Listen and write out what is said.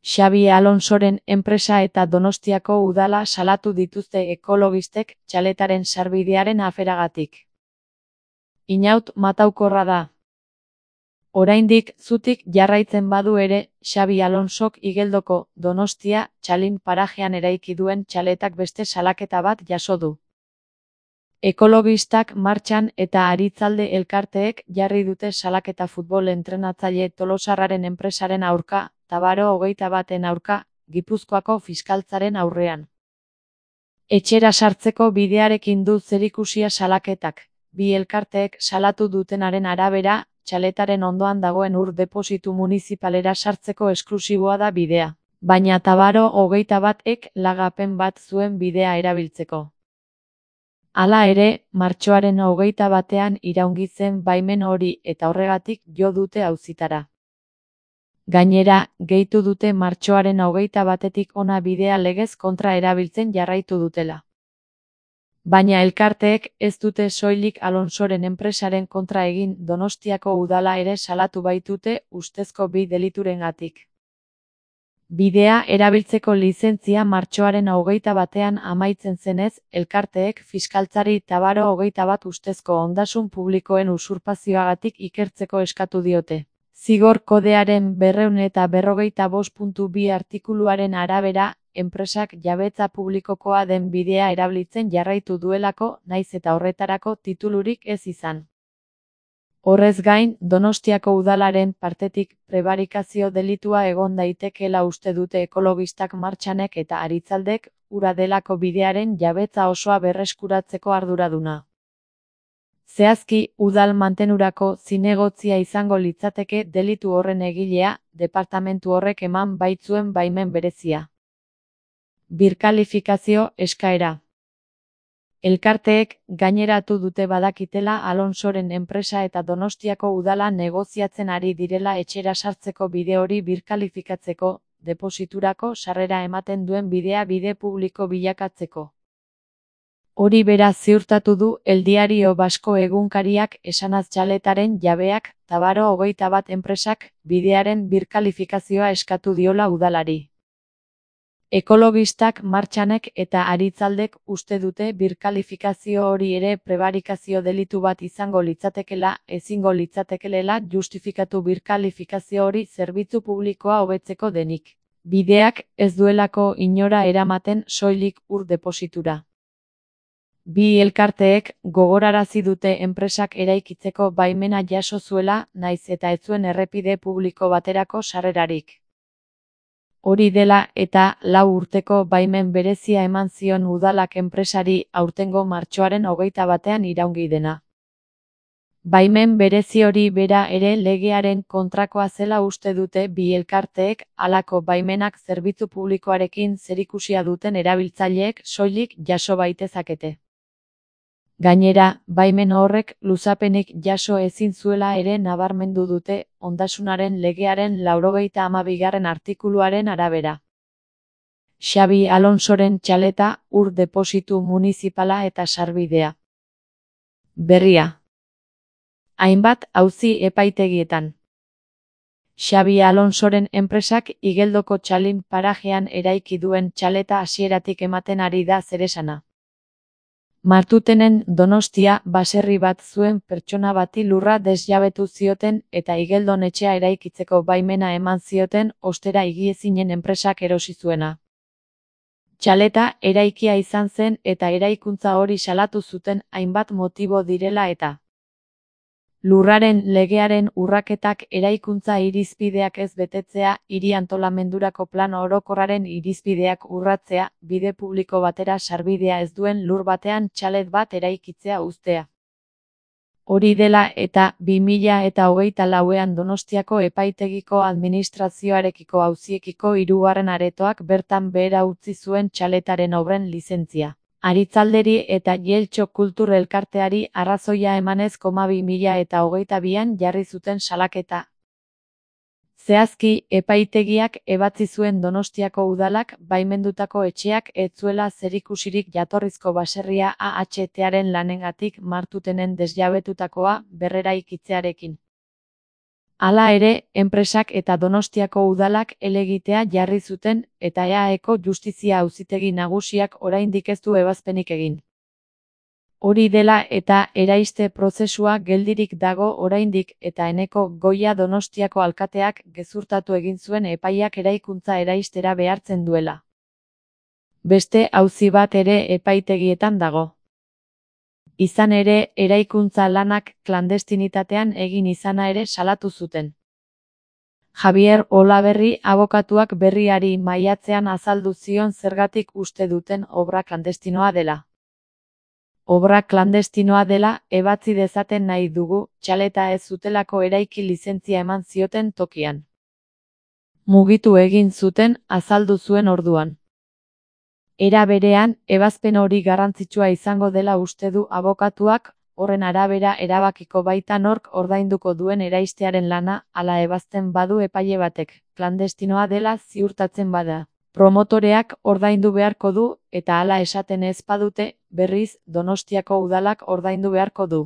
Xabi Alonsoren enpresa eta Donostiako udala salatu dituzte ekologistek txaletaren sarbidearen aferagatik. Inaut mataukorra da. Oraindik zutik jarraitzen badu ere, Xabi Alonsok Igeldoko Donostia txalin parajean eraiki duen txaletak beste salaketa bat jaso du. Ekologistak martxan eta Aritzalde elkarteek jarri dute salaketa futbol entrenatzaile tolosarraren enpresaren aurka, Tabaro 21-en aurka, Gipuzkoako fiskaltzaren aurrean. Etxera sartzeko bidearekin du zerikusia salaketak. Bi elkarteek salatu dutenaren arabera, txaletaren ondoan dagoen ur depositu munizipalera sartzeko esklusiboa da bidea. Baina Tabaro 21ek lagapen bat zuen bidea erabiltzeko. Hala ere, martxoaren 21ean iraungi zen baimen hori eta horregatik jo dute auzitara. Gainera, gehitu dute martxoaren 21etik hona bidea legez kontra erabiltzen jarraitu dutela. Baina elkarteek ez dute soilik Alonsoren enpresaren kontra egin, Donostiako udala ere salatu baitute ustezko bi deliturengatik. Bidea erabiltzeko lizentzia martxoaren 21ean amaitzen zenez, elkarteek fiskaltzari Tabaro 21 ustezko ondasun publikoen usurpazioagatik ikertzeko eskatu diote. Zigor kodearen 245.2 artikuluaren arabera, enpresak jabetza publikokoa den bidea erabiltzen jarraitu duelako, naiz eta horretarako titulurik ez izan. Horrez gain, Donostiako udalaren partetik prebarikazio delitua egon daitekeela uste dute ekologistak martxanek eta Aritzaldek, ura delako bidearen jabetza osoa berreskuratzeko arduraduna. Zehazki, udal mantenurako zinegotzia izango litzateke delitu horren egilea, departamentu horrek eman baitzuen baimen berezia. Birkalifikazio eskaera. Elkarteek gaineratu dute badakitela Alonsoren enpresa eta Donostiako udala negoziatzen ari direla etxera sartzeko bide hori birkalifikatzeko, depositurako sarrera ematen duen bidea bide publiko bilakatzeko. Hori bera ziurtatu du El Diario Basko egunkariak esanaz txaletaren jabeak, Tabaro 21 enpresak, bidearen birkalifikazioa eskatu diola udalari. Ekologistak martxanek eta Aritzaldek uste dute birkalifikazio hori ere prebarikazio delitu bat izango litzatekela, ezingo litzatekelela justifikatu birkalifikazio hori zerbitzu publikoa hobetzeko denik. Bideak ez duelako inora eramaten soilik ur depositura. Bi elkarteek gogorarazi dute enpresak eraikitzeko baimena jaso zuela, naiz eta ez zuen errepide publiko baterako sarrerarik. Hori dela eta 4 urteko baimen berezia eman zion udalak enpresari aurtengo martxoaren 21ean iraungi dena. Baimen berezi hori bera ere legearen kontrakoa zela uste dute bi elkarteek, halako baimenak zerbitzu publikoarekin zerikusia duten erabiltzaileek soilik jaso baitezakete. Gainera, baimen horrek luzapenik jaso ezin zuela ere nabarmendu dute, ondasunaren legearen 92. artikuluaren arabera. Xabi Alonsoren txaleta, ur depositu munizipala eta sarbidea. Berria. Hainbat auzi epaitegietan. Xabi Alonsoren enpresak Igeldoko txalin parajean eraiki duen txaleta hasieratik ematen ari da zeresana. Martutenen Donostia baserri bat zuen pertsona bati lurra desjabetu zioten eta Igeldon etxea eraikitzeko baimena eman zioten ostera higiezinen enpresak erosi zuena. Txaleta eraikia izan zen eta eraikuntza hori salatu zuten hainbat motibo direla eta lurraren legearen urraketak eraikuntza irizpideak ez betetzea, hiri antolamendurako plan orokorraren irizpideak urratzea, bide publiko batera sarbidea ez duen lur batean txalet bat eraikitzea uztea. Hori dela eta 2024ean Donostiako epaitegiko administrazioarekiko auziekiko 3. aretoak bertan behera utzi zuen txaletaren obren lizentzia. Aritzalderi eta Jeltxo Kultur Elkarteari arrazoia emanez 2022an jarri zuten salaketa. Zehazki, epaitegiak ebatzi zuen Donostiako udalak baimendutako etxeak ez zuela zerikusirik jatorrizko baserria AHTaren lanengatik Martutenen desjabetutakoa berreraikitzearekin. Hala ere, enpresak eta Donostiako udalak helegitea jarri zuten eta EAEko Justizia Auzitegi Nagusiak oraindik ez du ebazpenik egin. Hori dela eta eraiste prozesua geldirik dago oraindik eta Eneko Goia Donostiako alkateak gezurtatu egin zuen epaiak eraikuntza eraistera behartzen duela. Beste auzi bat ere epaitegietan dago. Izan ere, eraikuntza lanak klandestinitatean egin izana ere salatu zuten. Javier Olaberri abokatuak Berriari maiatzean azaldu zion zergatik uste duten obra klandestinoa dela. Obra klandestinoa dela ebatzi dezaten nahi dugu, txaleta ez zutelako eraiki lizentzia eman zioten tokian. Mugitu egin zuten, azaldu zuen orduan. Era berean, ebazpen hori garrantzitsua izango dela uste du abokatuak, horren arabera erabakiko baita nork ordainduko duen eraistearen lana, ala ebazten badu epaile batek, klandestinoa dela ziurtatzen bada. Promotoreak ordaindu beharko du, eta hala esaten ez badute, berriz, Donostiako udalak ordaindu beharko du.